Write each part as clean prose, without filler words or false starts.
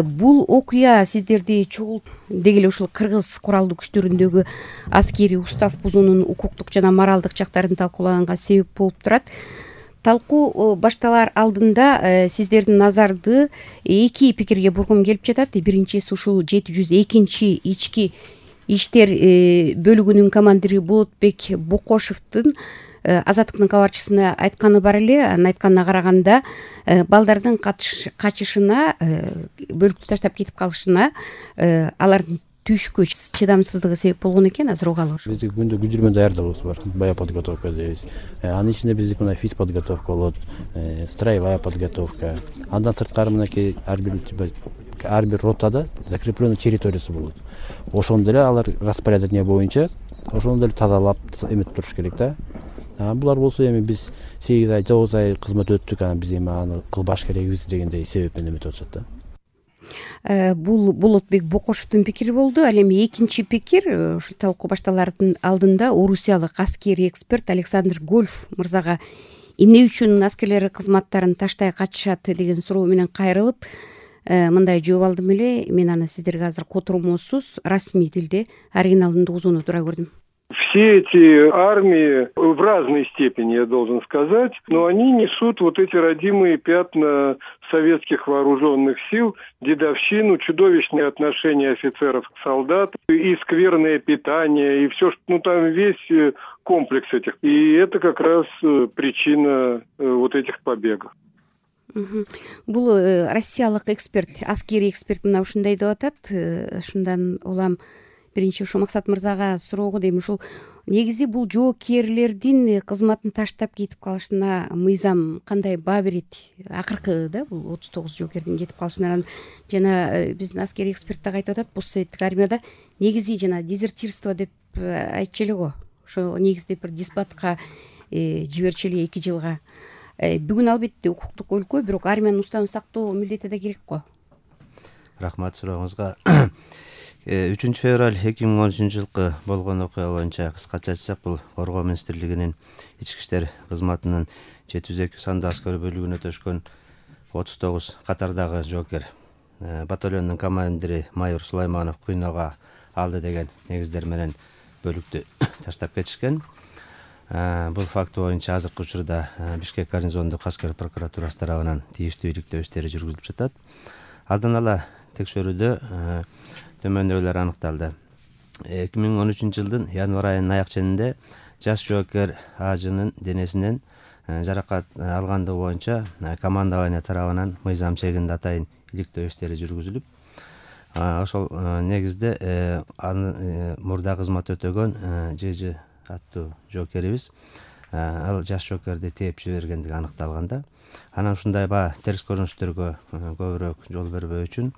Бул окуя сиздерди деги эле ушул кыргыз куралдуу күчтөрүндөгү аскерий устав бузуунун укуктук жана моралдык жактарын талкуулаганга себеп болуп турат. Талкуу башталар алдында сиздердин назарды эки пикирге бургум келип жатат. Биринчиси ушул 702 ички иштер бөлүгүнүн командири Болотбек Бокошевдун Азаттыктын кабарчысына айтканы бар эле. Анын айтканына караганда балдардын качышына, бөлүктү таштап кетип калышына алардын түйшүккө чыдамсыздыгы себеп болгон экен. Азыр угалы. Биздин күндө күжүрмө даярдыгыбыз бар. Боевая подготовка дейбиз. Анын ичинде биздики мына физподготовка болот, строевая подготовка. Андан сырткары мынакей ар бир ротада закрепленный территориясы болот. Ошондо эле алар распоряжение боюнча ошондо эле тазалап эметип туруш керек да. Булар болсо эми биз 8 ай, 9 ай кызмат өттүк, биз эми аны кылбаш керекбиз дегендей себеп менен эметип атышат да. Бул Болотбек Бокошевдун пикири болду. Ал эми экинчи пикир ушул талкуу башталардын алдында орусиялык аскерий эксперт Александр Гольф мырзага эмне үчүн аскерлер кызматтарын таштай качышат деген суроо менен кайрылып мындай жооп алдым эле. Мен аны сиздерге азыр котормосуз расмий тилде оригиналында угузууну тура көрдүм. Все эти армии в разной степени, я должен сказать, но они несут вот эти родимые пятна советских вооруженных сил, дедовщину, чудовищные отношения офицеров к солдатам, и скверное питание, и все, там весь комплекс этих. И это как раз причина вот этих побегов. Бул россиялык эксперт, аскерий эксперт мына ушундай деп атат. Ушундан улам биринчи ушул Максат мырзага суроого дейм. Ушул негизи бул жоокерлердин кызматын таштап кетип калышына мыйзам кандай баа берет? Акыркы да бул 39 жоокердин кетип калышына жана биздин аскерий эксперт дагы айтып атат, постсоветтик армияда негизи жана дезертирство деп айтчу эле го. Ошо негизде бир диспатка жиберчү эле 2 жылга. Бүгүн албетте укуктук өлкө, бирок армиянын уставын сактоо милдети да керек го. Рахмат сурооңузга. 3 февраль 2013 жылкы болгон окуя боюнча кыскача айтсак, бул Коргоо министрлигинин ички иштер кызматынын 702 сандуу аскер бөлүгүнө төшкөн 39 катардагы жоокер батальондун командири майор Сулайманов кыйноого алды деген негиздер менен бөлүктү таштап кетишкен. Бул факт боюнча азыркы учурда Бишкек гарнизондук аскер прокуратурасы тарабынан тийиштүү иликтөө иштери жүргүзүлүп жатат. Алдан ала текшерүүдө төмөндөгүлөр аныкталды. 2013 жылдын январь айынын аяк ченинде жаш жоокер Ажынын денесинен жаракат алгандыгы боюнча командование тарабынан мыйзам чегинде атайын иликтөө иштери жүргүзүлүп, ошол негизде аны мурда кызмат өтөгөн ЖЖ аттуу жоокерибиз ал жаш жоокерди тээп жибергендиги аныкталганда, анан ушундай терс көрүнүштөргө көбүрөөк жол бербөө үчүн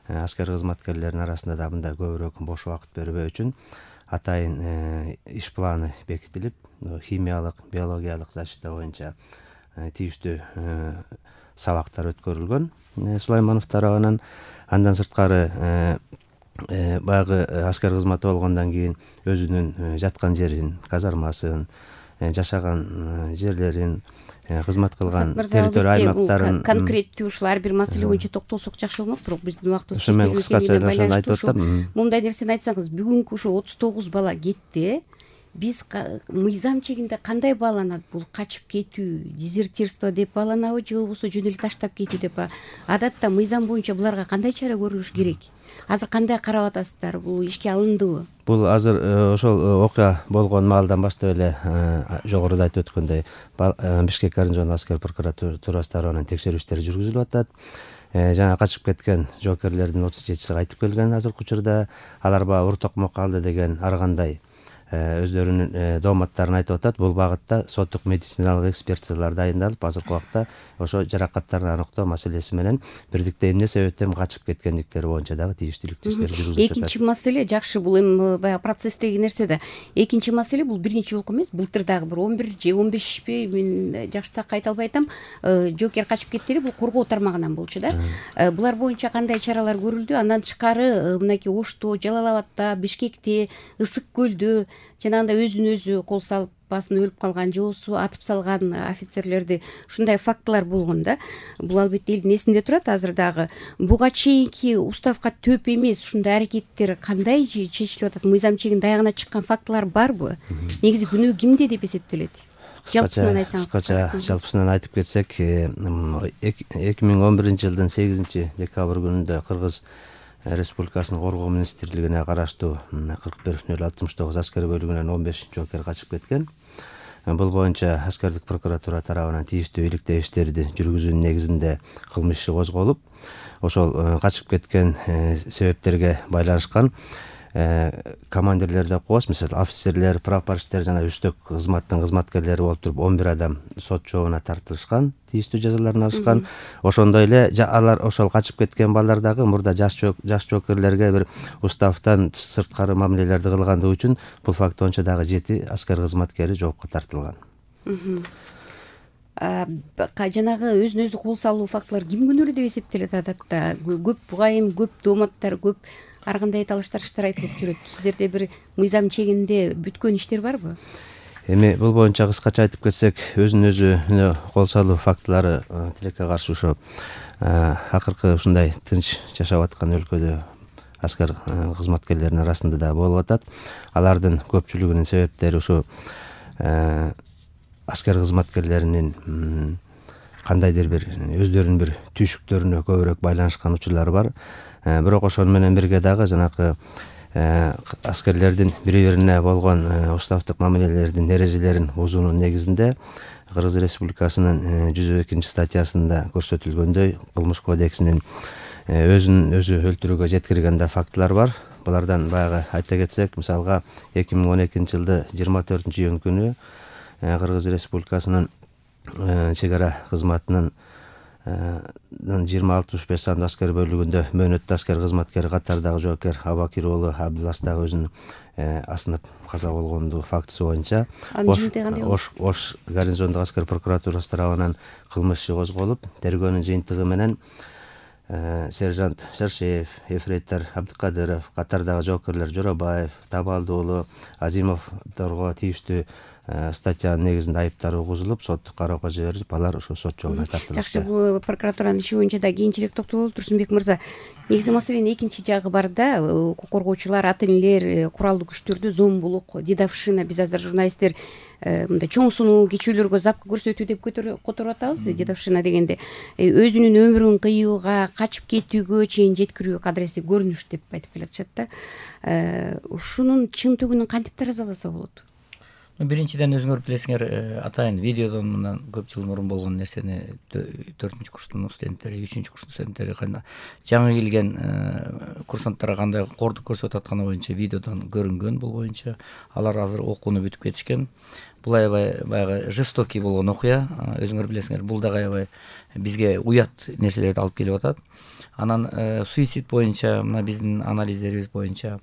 аскер кызматкерлеринин арасында да мындай көбүрөөк бош убакыт бербөө үчүн атайын иш планы бекитилип, химиялык, биологиялык защита боюнча тийиштүү сабактар өткөрүлгөн Сулайманов тарабынан. Андан сырткары баягы аскер кызматы болгондон кийин өзүнүн жаткан жерин, казармасын, жашаган жерлерин, кызмат кылган территория аймактарын конкреттүү ушул ар бир маселе боюнча токтолсок жакшы болмок, бирок биздин убактыбыз ошо менен кыскача ошону айтып атам. Мындай нерсени айтсаңыз, бүгүнкү ушу 39 бала кетти. Биз мыйзам чегинде кандай бааланат? Бул качып кетүү, дезертирство деп бааланабы же болбосо жөн эле таштап кетүү деп? Адатта мыйзам боюнча буларга кандай чара көрүлүш керек? Азыр кандай карап атасыздар? Бул ишке алындыбы? Бул азыр ошол окуя болгон маалдан баштап эле жогоруда айтып өткөндөй Бишкек гарнизондук аскер прокуратурасы тарабынан текшерүү иштери жүргүзүлүп атат. Жана качып кеткен жоокерлердин 37-си кайтып келген азыркы учурда. Алар ур токмок калды деген ар кандай өздөрүнүн дооматтарын айтып атат. Бул багытта соттук медициналык экспертизалар дайындалып, азыркы убакта ошо жаракаттарын аныктоо маселеси менен бирдикте эмне себептен качып кеткендиктери боюнча дагы тийиштүү иштер жүргүзүлүп жатат. Экинчи маселе жакшы, бул эми баягы процесстеги нерсе да. Экинчи маселе бул биринчи жолку эмес, былтыр дагы бир 11 же 15 мен жакшы так айта албай атам, жоокер качып кетти эле, бул коргоо тармагынан болчу да. Булар боюнча кандай чаралар көрүлдү? Андан тышкары мынакей Ошто, Жалал Абадта, Бишкекте, Ысык көлдө жанагындай өзүн өзү кол салып баасын өлүп калган жоосу, атып салган офицерлерди, ушундай фактылар болгон да. Бул албетте элдин эсинде турат азыр дагы. Буга чейинки уставка төп эмес ушундай аракеттер кандай чечилип атат? Мыйзам чегинде аягына чыккан фактылар барбы? Негизи күнөө кимде деп эсептелет? Жалпысынан айтсаңыз. Кыскача жалпысынан айтып кетсек, 2011-жылдын 8 декабрь күнүндө Кыргыз Республикасынын Коргоо министрлигине караштуу 41-069 аскер бөлүгүнөн 15 жоокер качып кеткен. Бул боюнча аскердик прокуратура тарабынан тийиштүү иликтөө иштерди жүргүзүүнүн негизинде кылмыш иши козголуп, ошол качып кеткен себептерге байланышкан командирлер деп коебуз, мисалы офицерлер, прапорщиктер жана үстөк кызматтын кызматкерлери болуп туруп 11 адам сот жообуна тартылышкан, тийиштүү жазаларын алышкан. Ошондой эле алар ошол качып кеткен балдар дагы мурда жаш жоокерлерге бир уставтан сырткары мамилелерди кылгандыгы үчүн бул факт боюнча дагы 7 аскер кызматкери жоопко тартылган. Жанагы өзүнө өзү кол салуу фактылар ким күнөөлүү деп эсептелет адатта? Көп бугайым, көп дооматтар, көп ар кандай талаш-тарыштар айтылып жүрөт. Сиздерде бир мыйзам чегинде бүткөн иштер барбы? Эми бул боюнча кыскача айтып кетсек, өзүнө өзү кол салуу фактылары тилекке каршы ошо акыркы ушундай тынч жашап аткан өлкөдө аскер кызматкерлеринин арасында да болуп атат. Алардын көпчүлүгүнүн себептери ушу аскер кызматкерлеринин кандайдыр бир өздөрүнүн бир түйшүктөрүнө көбүрөөк байланышкан учурлары бар. Бирок ошону менен бирге дагы жанакы аскерлердин бири-бирине болгон уставдык мамилелердин эрежелерин бузуунун негизинде Кыргыз Республикасынын 102 статьясында көрсөтүлгөндөй кылмыш кодексинин өзүн өзү өлтүрүүгө жеткирген фактылар бар. Булардан баягы айта кетсек, мисалга 2012-жылды 24-июнь күнү Кыргыз Республикасынын чек ара кызматынын 2065 сандуу аскер бөлүгүндө мөөнөттүү аскер кызматкери катардагы жоокер Абакир уулу Абдылас дагы өзүнүн асынып каза болгондугу фактысы боюнча Ош гарнизондук аскер прокуратурасы тарабынан кылмыш иши козголуп, тергөөнүн жыйынтыгы менен сержант Шаршеев, ефрейтор Абдыкадыров, катардагы жоокерлер Жоробаев, Табалды уулу Азимовдорго тийиштүү статьянын негизинде айыптар угузулуп, соттук кароого жиберилип, алар ошо сот жообуна тартылышты. Жакшы, бул прокуратуранын иши боюнча да кийинчерээк токтололу. Турсунбек мырза, негизи маселенин экинчи жагы бар да, укук коргоочулар, ата энелер, куралдуу күчтөрдө зомбулук, дедовщина, биз азыр журналисттер мындай чоң сунуу кичүүлөргө запка көрсөтүү деп которуп атабыз. Дедовщина дегенде өзүнүн өмүрүн кыюуга, качып кетүүгө чейин жеткирүү кадыресе көрүнүш деп айтып келатышат да. Ушунун чын төгүнүн кантип таразаласа болот? Биринчиден өзүңөр билесиңер, атайын видеодон мындан көп жыл мурун болгон нерсени 4-курстун студенттери, 3-курстун студенттери жаңы келген курсанттарга кандай кордук көрсөтүп атканы боюнча видеодон көрүнгөн. Бул боюнча алар азыр окууну бүтүп кетишкен. Бул аябай баягы жестокий болгон окуя. Өзүңөр билесиңер, бул дагы аябай бизге уят нерселерди алып келип атат. Анан суицид боюнча мына биздин анализдерибиз боюнча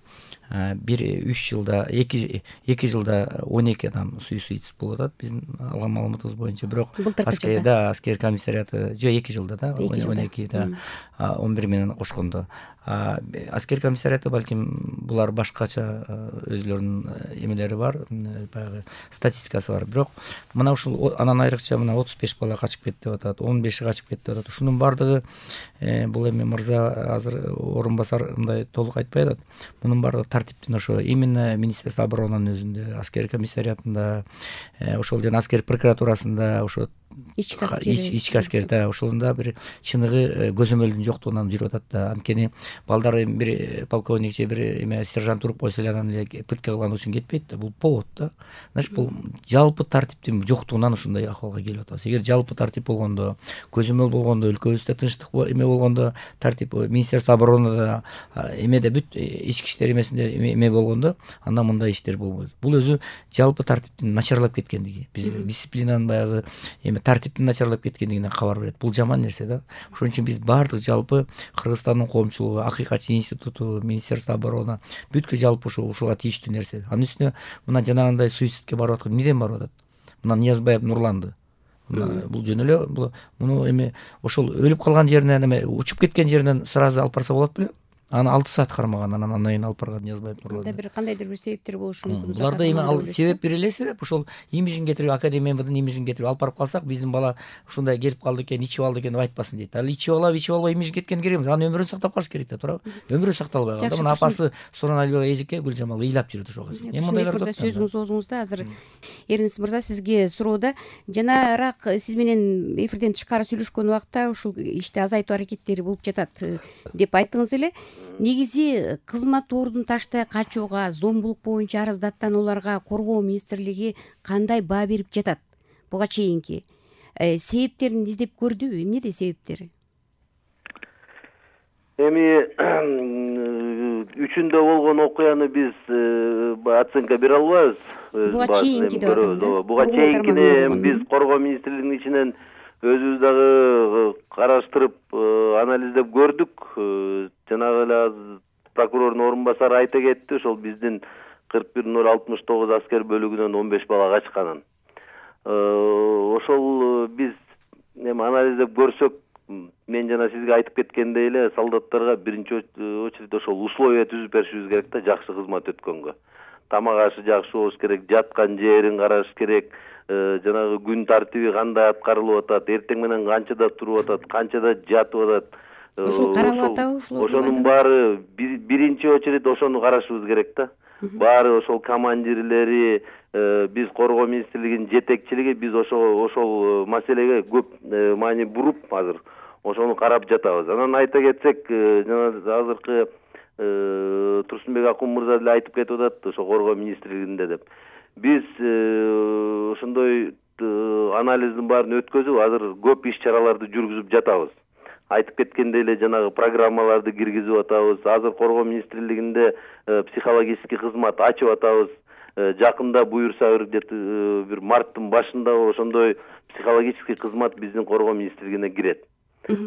2 жылда 12 адам суицид болуп атат биздин алган маалыматыбыз боюнча. Бирок аскер комиссариаты 2 жылда да 12 да 11 менен кошкондо. Аскер комиссариаты балким булар башкача өзлөрүнүн эмелери бар, баягы статистикасы бар. Бирок мына ушул анан айрыкча мына 35 бала качып кетти деп атат, 15 качып кетти деп атат. Ушунун бардыгы бул эми мырза азыр орун басар мындай толук айтпай атат. Мунун бардыгы тартиптин ошо именно Министерство оборонанын өзүндө, аскер комиссариатында, ошол жана аскер прокуратурасында, ошо ички аскерде ошолунда бир чыныгы көзөмөлдүн жоктугунан жүрүп атат да. Анткени балдар бир полковник же бир эме сержант уруп койсо эле анан эле пытка кылган үчүн кетпейт да. Бул повод да. Значит, бул жалпы тартиптин жоктугунан ушундай акыбалга келип атабыз. Эгер жалпы тартип болгондо, көзөмөл болгондо, өлкөбүздө тынчтык эме болгондо, тартип Министерство оборонада эмеде бүт ички иштер эмесинде эме болгондо, анда мындай иштер болбойт. Бул өзү жалпы тартиптин начарлап кеткендиги, биз дисциплинанын баягы эме тартиптин начарлап кеткендигинен кабар берет. Бул жаман нерсе да. Ошон үчүн биз баардык жалпы Кыргызстандын коомчулугу, Акыйкатчы институту, Министерство обороны бүткү жалпы ушуга тийиштүү нерсе. Анын үстүнө мына жанагындай суицидке барып аткан эмнеден барып атат? Мына Ниязбаев Нурланды. Бул жөн эле муну эми ошол өлүп калган жеринен эме учуп кеткен жеринен сразу алып барса болот беле? аны 6 саат кармаган, анан кийин алып барган Ниязбаев Нурлан. Анда кандайдыр бир себептер болушу мүмкүн. Буларда эми ал себеп бир эле себеп, ошол имиджин кетирип, академия МВДнын имиджин кетирип алып барып калсак, биздин бала ушундай келип калды экен, ичип алды экен деп айтпасын дейт. Ал ичип албай имиджин кеткен керек эмес, анын өмүрүн сактап калыш керек да, туурабы? Өмүрү сакталбай калды. Мына апасы Сураналбек эжеке Гүлжамал ыйлап жүрөт ошого. Эми мындайлар да сөзүңүз оозуңузда. Азыр Эрнис мырза сизге суроода, жанараак сиз менен эфирден тышкары сүйлөшкөн убакта ушул ишти азайтуу аракеттери болуп жатат деп айттыңыз эле. Негизи кызмат ордун таштай качууга, зомбулук боюнча арыздаттанууларга Коргоо министрлиги кандай баа берип жатат буга чейинки? Себептерин издеп көрдүбү? Эмнеде себептери? Эми үчүндө болгон окуяны биз оценка бере албайбыз. Буга чейинки деп атам. Буга чейинкини биз Коргоо министрлигинин ичинен өзүбүз дагы караштырып, анализдеп көрдүк. Жанагы эле прокурордун орун басары айта кетти, ошол биздин 41-069 аскер бөлүгүнөн 15 бала качканын. Ошол биз эми анализдеп көрсөк, мен жана сизге айтып кеткендей эле солдаттарга биринчи очередь ошол условия түзүп беришибиз керек да, жакшы кызмат өткөнгө. Тамак ашы жакшы болуш керек, жаткан жерин караш керек, жанагы күн тартиби кандай аткарылып атат, эртең менен канчада туруп атат, канчада жатып атат. Ушул каралып атабы ушул? Ошонун баары биринчи очередь ошону карашыбыз керек да. Баары ошол командирлери, биз Коргоо министрлигинин жетекчилиги, биз ошол маселеге көп маани буруп азыр ошону карап жатабыз. Анан айта кетсек, жана азыркы Турсунбек Акун мырза деле айтып кетип атат, ошо Коргоо министрлигинде деп. Биз ошондой анализдин баарын өткөзүп, азыр көп иш-чараларды жүргүзүп жатабыз. Айтып кеткендей эле жанагы программаларды киргизип атабыз. Азыр Коргоо министрлигинде психологический кызмат ачып атабыз. Жакында буюрса бир марттын башында ошондой психологический кызмат биздин Коргоо министрлигине кирет.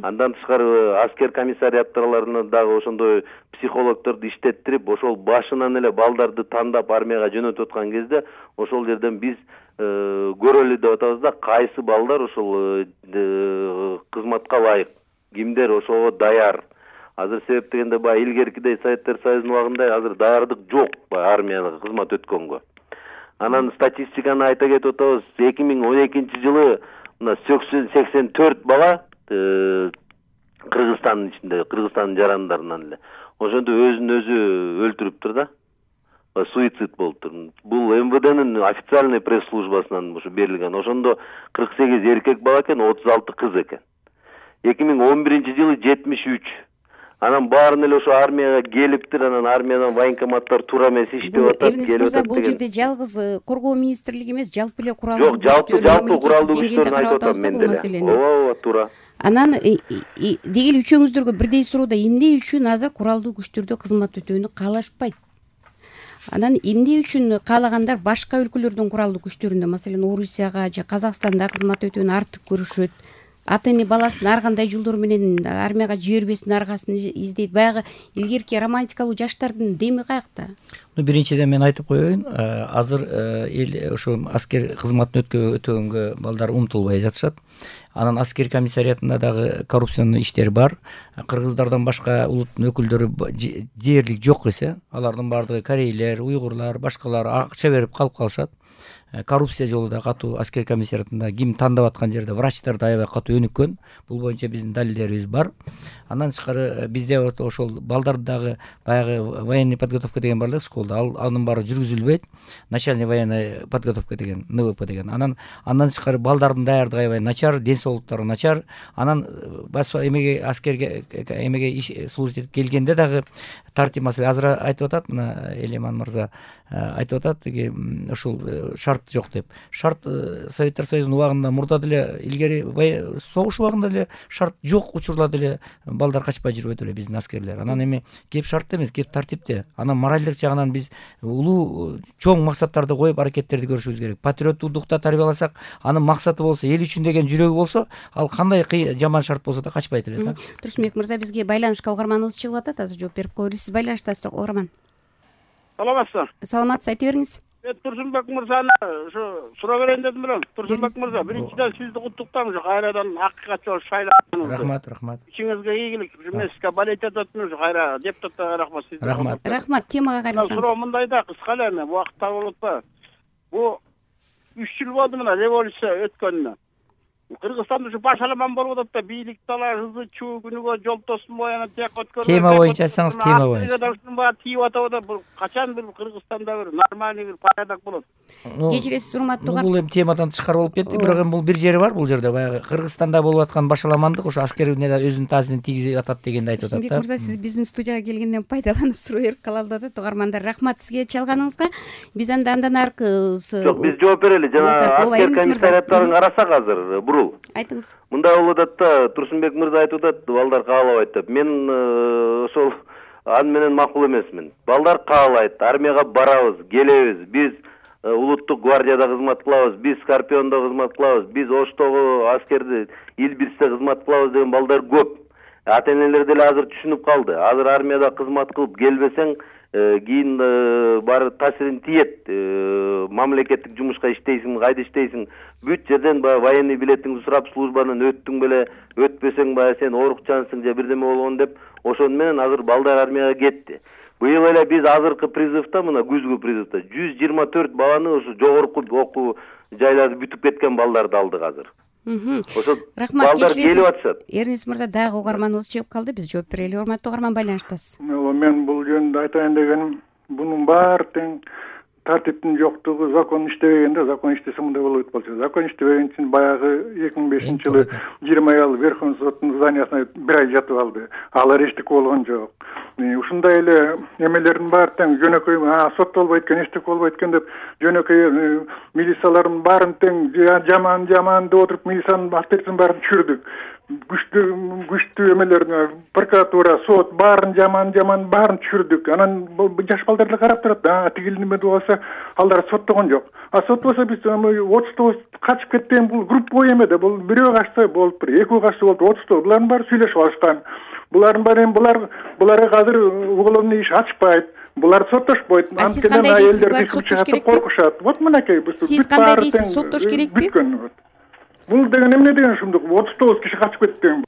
Андан тышкары аскер комиссариаттарына дагы ошондой психологторду иштеттирип, ошол башынан эле балдарды тандап армияга жөнөтүп аткан кезде ошол жерден биз көрөлү деп атабыз да, кайсы балдар ошол кызматка ылайык, кимдер ошого даяр. Азыр себеп дегенде баягы илгеркидей Советтер Союзунун убагында азыр даярдык жок армияга кызмат өткөнгө. Анан статистиканы айта кетип атабыз. 2012 жылы мына 84 бала Кыргызстандын ичинде, Кыргызстандын жарандарынан эле ошондо өзүн өзү өлтүрүптүр да. Суицид болуптур. Бул МВДнын официальный пресс-службасынан ушу берилген. Ошондо 48 эркек бала экен, 36 кыз экен. 2011 жылы 73. Анан баарын эле ошо армияга келиптир, анан армиядан военкоматтар туура эмес иштеп атат, келип атат. Бул жерде жалгыз Коргоо министрлиги эмес, жалпы эле куралдуу күчтөр. Жок, жалпы куралдуу күчтөрүн айтып атам мен деле. Ооба, туура. Анан деги эле үчөөңүздөргө бирдей суроода, эмне үчүн азыр куралдуу күчтөрдө кызмат өтүүнү каалашпайт? Анан эмне үчүн каалагандар башка өлкөлөрдүн куралдуу күчтөрүндө, маселен, Орусияга же Казакстанда кызмат өтүүнү артык көрүшөт? Ата-эне баласын ар кандай жолдор менен армияга жибербесин аргасын издейт. Баягы илгерки романтикалуу жаштардын деми каякта? Биринчиден мен айтып коеюн, азыр ошо аскер кызматын өтөгөнгө балдар умтулбай жатышат. Анан аскер комиссариятында дагы коррупциянын иштери бар. Кыргыздардан башка улуттун өкүлдөрү дээрлик жок эсе, алардын баардыгы корейлер, уйгурлар, башкалар акча берип калып калышат. Коррупция жолу да катуу аскер комиссариятында ким тандап аткан жерде врачтар да аябай катуу өнүккөн. Бул боюнча биздин далилдерибиз бар. Андан тышкары бизде ошол балдарды дагы баягы военный подготовка деген бар эле школда, анын баары жүргүзүлбөйт. Начальный военный подготовка деген, НВП деген. Андан тышкары балдардын даярдыгы аябай начар, ден соолуктары начар. Анан эмеге аскерге эмеге служить этип келгенде дагы тартип маселе азыр айтып атат, мына Элеман мырза айтып атат, ушул шарт жок деп. Шарт Советтер Союзунун убагында мурда деле илгери согуш убагында деле шарт жок учурларда деле балдар качпай жүрбөйт эле биздин аскерлер. Анан эми кеп шартта эмес, кеп тартипте. Анан моральдык жагынан биз улуу чоң максаттарды коюп аракеттерди көрүшүбүз керек. Патриоттуктукта тарбияласак, анын максаты болсо, эл үчүн деген жүрөгү болсо, ал кандай жаман шарт болсо да качпайт эле да. Турсунбек мырза, бизге байланышка угарманыбыз чыгып атат, азыр жооп берип коелу. Сиз байланышта, угарман. Саламатсызбы? Саламатсыз, айта бериңиз. Турсунбек мырзаны ушу суроо берейин дедим эле. Турсунбек мырза, биринчиден сизди куттуктайм ушу кайрадан акыйкатчы болуп шайланганыңызды. Рахмат. Ичиңизге ийгилик. Мен сизге болеть этип атам ушу кайра депутаттарга рахмат сизге. Рахмат. Темага кайрылсаңыз. Суроо мындай да, кыска эле эми убакыт табылып атпайбы. Бу 3 жыл болду мына революция өткөнүнө. Кыргызстанда ушу башаламан болуп атат да, бийлик талашысы чуу күнүгө жол тосун боянат тияк өткөн. Тема боюнча айтсаңыз, тема боюнча. Ушунун баары тийип атабы да, бул качан бир Кыргызстанда бир нормальный бир порядок болот. Кечиресиз урматтуу. Бул эми темадан тышкары болуп кетти, бирок эми бул бир жери бар, бул жерде баягы Кыргызстанда болуп аткан башаламандык ошо аскердин өзүнүн таасирин тийгизип атат дегенди айтып атат да. Турсунбек мырза, сиз биздин студияга келгенден пайдаланып суроо берип калалы да, угармандар. Рахмат сизге чалганыңызга. Биз андан аркы жок, биз жооп берели. Жана аскер комиссариаттарын карасак азыр бурул. Айтыңыз. Мындай болуп атат да, Турсунбек мырза айтып атат, балдар каалабайт деп. Мен ошол аны менен макул эмесмин. Балдар каалайт, армияга барабыз, келебиз. Биз улуттук гвардияда кызмат кылабыз, биз Скорпиондо кызмат кылабыз, биз Оштогу аскерди Илбирсте кызмат кылабыз деген балдар көп. Ата-энелер деле азыр түшүнүп калды. Азыр армияда кызмат кылып келбесең, кийин баары таасирин тиет. Мамлекеттик жумушка иштейсиң, кайда иштейсиң, бүт жерден баягы военный билетиңди сурап, службанын өттүң беле, өтпөсөң баягы сен оорукчансың же бирдеме болгон деп, ошону менен азыр балдар армияга кетти. Быйыл эле биз азыркы призывда, мына күзгү призывда 124 баланы ошо жогорку окуу жайларды бүтүп кеткен балдарды алдык азыр. Ошо балдар келип атышат. Эрнис мырза, дагы угарманыбыз чыгып калды, биз жооп берели. Урматтуу угарман, байланыштасыз. Мен бул жөнүндө айтайын дегеним, бунун баары тең тартиптин жоктугу, закон иштебегенде, закон иштесе мындай болбойт болчу. Закон иштебеген үчүн баягы 2005-жылы 20 ай Верховный соттун зданиясына бир ай жатып алды. Алар эчтеке болгон жок. Ушундай эле эмелердин баары тең жөнөкөй соттолбойт экен, эчтеке болбойт экен деп жөнөкөй милициялардын баарын тең жаман деп отуруп милициянын авторитетин баарын түшүрдүк. Күчтүү эмелер, прокуратура, сот баарын жаман баарын түшүрдүк. Анан жаш балдар деле карап турат. Тигил неме болсо алар соттогон жок. Соттолсо биз 39 качып кеткен бул группа эмеде. Бул бирөө качса болуптур, экөө качса болуптур, 39. Булардын баары сүйлөшүп алышкан. Булардын баары буларга азыр уголовный иш ачпайт. Булар соттошпойт. Анткени аялдар чыгып коркушат. Вот мынакей бүт баары. Сиз кандай дейсиз, соттош керекпи? Бул деген эмне деген ушундук 39 киши качып кетти деген.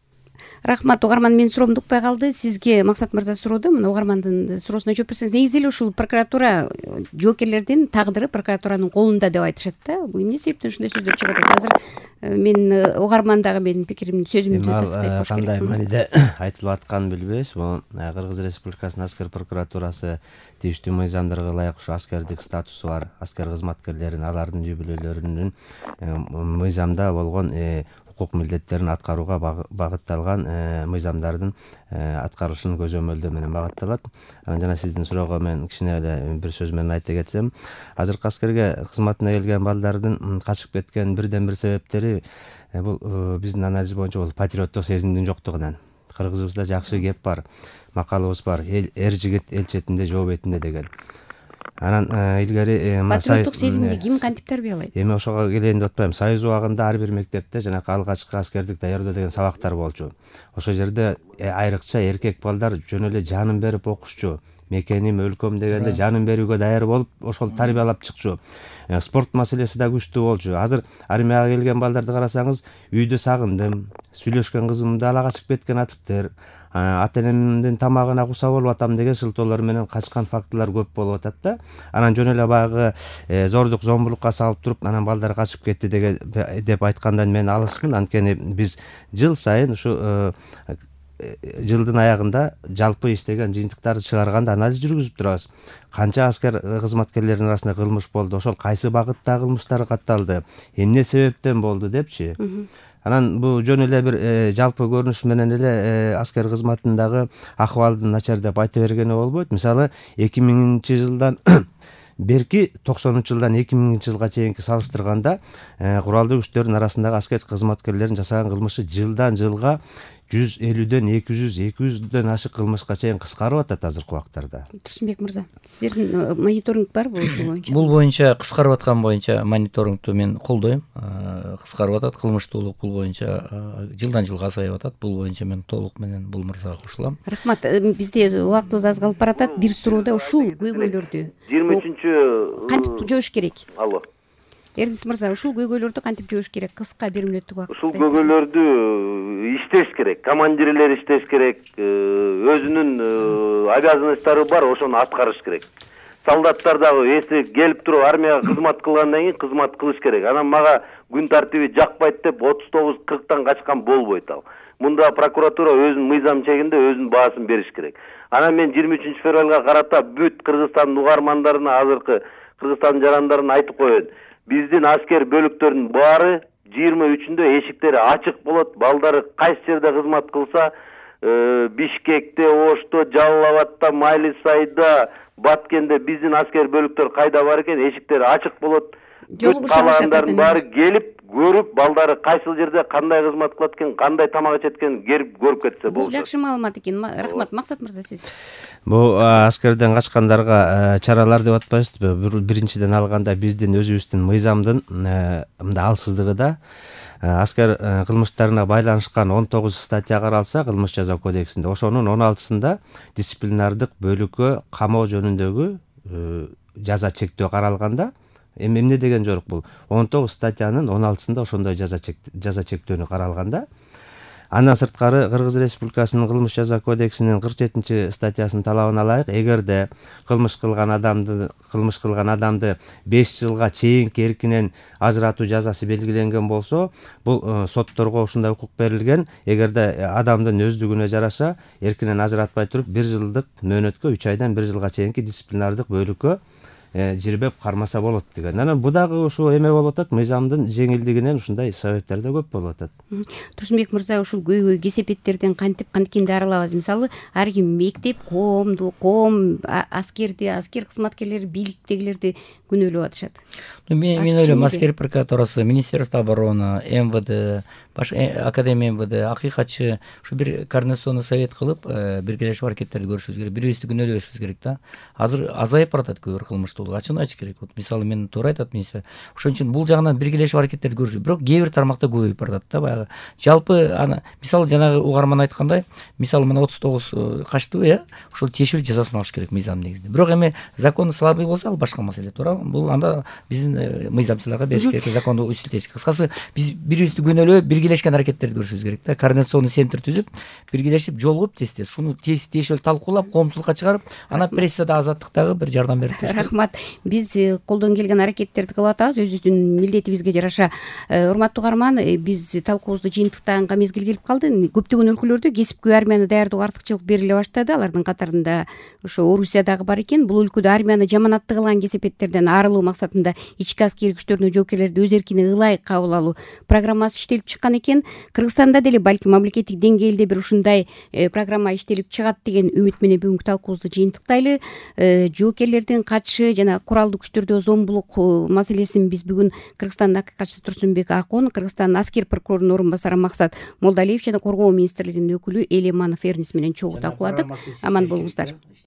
Рахмат, угарман, менин суроом укпай калды. Сизге Максат мырза сурооду, мына угармандын суроосуна жооп берсеңиз. Негизи эле ушул прокуратура жоокерлердин тагдыры прокуратуранын колунда деп айтышат да. Бул эмне себептен ушундай сөздөр чыгып атат? Азыр мен угарман дагы менин пикиримди, сөзүмдү тастайт болуш керек. Кандай мааниде айтылып атканын билбейбиз. Бул Кыргыз Республикасынын аскер прокуратурасы тийиштүү мыйзамдарга ылайык ушу аскердик статусу бар аскер кызматкерлерин, алардын жүйбөлөрүнүн мыйзамда болгон укук милдеттерин аткарууга багытталган мыйзамдардын аткарылышын көзөмөлдөө менен багытталат. Анан жана сиздин суроого мен кичине эле бир сөз менен айта кетсем, азыркы аскерге кызматына келген балдардын качып кеткен бирден бир себептери бул биздин анализ боюнча бул патриоттук сезимдин жоктугунан. Кыргызыбызда жакшы кеп бар, макалыбыз бар, эр жигит эл четинде, жоо бетинде деген. Анан илгери патриоттук сезимди ким кантип тарбиялайт? Эми ошого келейин деп атпайм. Союз убагында ар бир мектепте жанакы алгачкы аскердик даярдоо деген сабактар болчу. Ошол жерде айрыкча эркек балдар жөн эле жанын берип окушчу. Мекеним, өлкөм дегенде жанын берүүгө даяр болуп, ошол тарбиялап чыкчу. Спорт маселеси да күчтүү болчу. Азыр армияга келген балдарды карасаңыз, үйдө сагындым, сүйлөшкөн кызымды ала качып кеткен атыптыр. Ата-энемдин тамагына куса болуп атам деген шылтоолор менен качкан фактылар көп болуп атат да. Анан жөн эле баягы зордук зомбулукка салып туруп, анан балдар качып кетти деп айткандан мен алысмын. Анткени биз жыл сайын ушу жылдын аягында жалпы иштеген жыйынтыктарды чыгарганда анализ жүргүзүп турабыз. Канча аскер кызматкерлердин арасында кылмыш болду, ошол кайсы багытта кылмыштар катталды, эмне себептен болду депчи. Анан бул жөн эле бир жалпы көрүнүш менен эле аскер кызматындагы акыбалдын начар деп айта бергене болбойт. Мисалы 2000-жылдан берки 90-жылдан 2000-жылга чейинки салыштырганда куралдуу күчтөрдүн арасындагы аскер кызматкерлердин жасаган кылмышы жылдан жылга 150дөн 200-200дөн ашык кылмышка чейин кыскарып атат азыркы убактарда. Турсунбек мырза, сиздердин мониторинг барбы боюнча? Бул боюнча кыскарып аткан боюнча мониторингду мен колдойм. Кыскарып атат, кылмыштуулук бул боюнча жылдан жылга азайып атат. Бул боюнча мен толук менен бул мырзага кошулам. Рахмат. Бизде убактыбыз аз калып баратат. Бир суроодо ушул көйгөйлөрдү 23 кантип жоош керек? Алло. Эрдис мырза, ушул көйгөйлөрдү кантип жоош керек? Кыска 1 мүнөттүк убакыт. Ушул көйгөйлөрдү иштеш керек. Командирлер иштеш керек. Өзүнүн обязанностьтары бар, ошону аткарыш керек. Солдаттар дагы эси келип туруп армияга кызмат кылгандан кийин кызмат кылыш керек. Анан мага күн тартиби жакпайт деп 39-40тан качкан болбойт ал. Мында прокуратура өзүнүн мыйзам чегинде өзүнүн баасын бериш керек. Анан мен 23 февралга карата бүт Кыргызстандын угармандарына, азыркы Кыргызстандын жарандарына айтып коеюн. Биздин аскер бөлүктөрүнүн баары 23-үндө эшиктери ачык болот. Балдары кайсы жерде кызмат кылса, Бишкекте, Ошто, Жалал Абадта, Майлисайда, Баткенде биздин аскер бөлүктөр кайда бар экен, эшиктери ачык болот. Бүт калаандардын баары келип көрүп, балдары кайсыл жерде кандай кызмат кылат экен, кандай тамак ичет экен келип көрүп кетсе болот. Бул жакшы маалымат экен. Рахмат. Максат мырза, сиз. Бул аскерден качкандарга чаралар деп атпайсызбы? Биринчиден алганда биздин өзүбүздүн мыйзамдын мындай алсыздыгы да. Аскер кылмыштарына байланышкан 19 статья каралса кылмыш жаза кодексинде, ошонун 16-сында дисциплинардык бөлүккө камоо жөнүндөгү жаза чектөө каралганда, эмне деген жорук бул? 19 статьянын 16-сында ошондой жаза чектөөнү каралганда, андан сырткары Кыргыз Республикасынын кылмыш жаза кодексинин 47 статьясынын талабына ылайык, эгерде кылмыш кылган адамды 5 жылга чейинки эркинен ажыратуу жазасы белгиленген болсо, бул сотторго ушундай укук берилген. Эгерде адамдын өздүгүнө жараша эркинен ажыратпай туруп 1 жылдык мөөнөткө 3 айдан 1 жылга чейинки дисциплинардык бөлүккө жирбеп кармаса болот деген. Анан бу дагы ушул эме болуп атат, мыйзамдын жеңилдигинен ушундай себептер да көп болуп атат. Турсунбек мырза, ушул көйгөй кесепеттерден кантип аралабыз? Мисалы, ар ким мектеп, коом, аскерди, аскер кызматкерлери, бийликтегилерди күнөөлөп атышат. Мен ойлойм, аскер прокуратурасы, Министерство обороны, МВД, Академия МВД, акыйкатчы ушу бир координационный совет кылып, биргелешип аракеттерди көрүшүбүз керек, бири бирибизди күнөөлөбөшүбүз керек да. Азыр азайып баратат көбүр кылмыштуулук, ачыгын айтыш керек. Мисалы, мен туура айтат министр. Ошон үчүн бул жагынан биргелешип аракеттерди көрүшүбүз. Бирок кээ бир тармакта көбөйүп баратат да баягы. Жалпы мисалы жанагы угарман айткандай, мисалы мына 39 качтыбы, ошол тиешелүү жазасын алыш керек мыйзам негизинде. Бирок эми закон слабый болсо, ал башка маселе, туурабы? Бул анда биздин мыйзамчыларга бериш керек, законду ишилтиш. Кыскасы, биз бири-бирибизди күнөөлөп, биргелешкен аракеттерди көрүшүбүз керек да. Координационный центр түзүп, биргелешип жолугуп тез-тез ушуну тиешелүү талкуулап, коомчулукка чыгарып, анан прессада, азаттыктагы бир жардам берип турушат. Рахмат. Биз колдон келген аракеттерди кылып атабыз, өзүбүздүн милдетибизге жараша. Урматтуу угарман, биз талкуубузду жыйынтыктаганга мезгил келип калды. Көптөгөн өлкөлөрдө кесипкөй армияны даярдоого артыкчылык бериле баштады. Алардын катарында ошо Орусия дагы бар экен. Бул өлкөдө армияны жаманатты кылган кесепеттерден арылуу максатында ички аскери күчтөрдүн жоокерлерди өз эркине ылайык кабыл алуу программасы иштелип чыккан экен. Кыргызстанда деле балким мамлекеттик деңгээлде бир ушундай программа иштелип чыгат деген үмүт менен бүгүнкү талкуубузду жыйынтыктайлы. Жоокерлердин катышы жана куралдуу күчтөрдө зомбулук маселесин биз бүгүн Кыргызстандын акыйкатчысы Турсунбек Акон, Кыргызстандын аскер прокурорунун орун басары Максат Молдалиев жана Коргоо министрлигинин өкүлү Элеманов Эрнис менен чогуу талкууладык. Аман болуңуздар.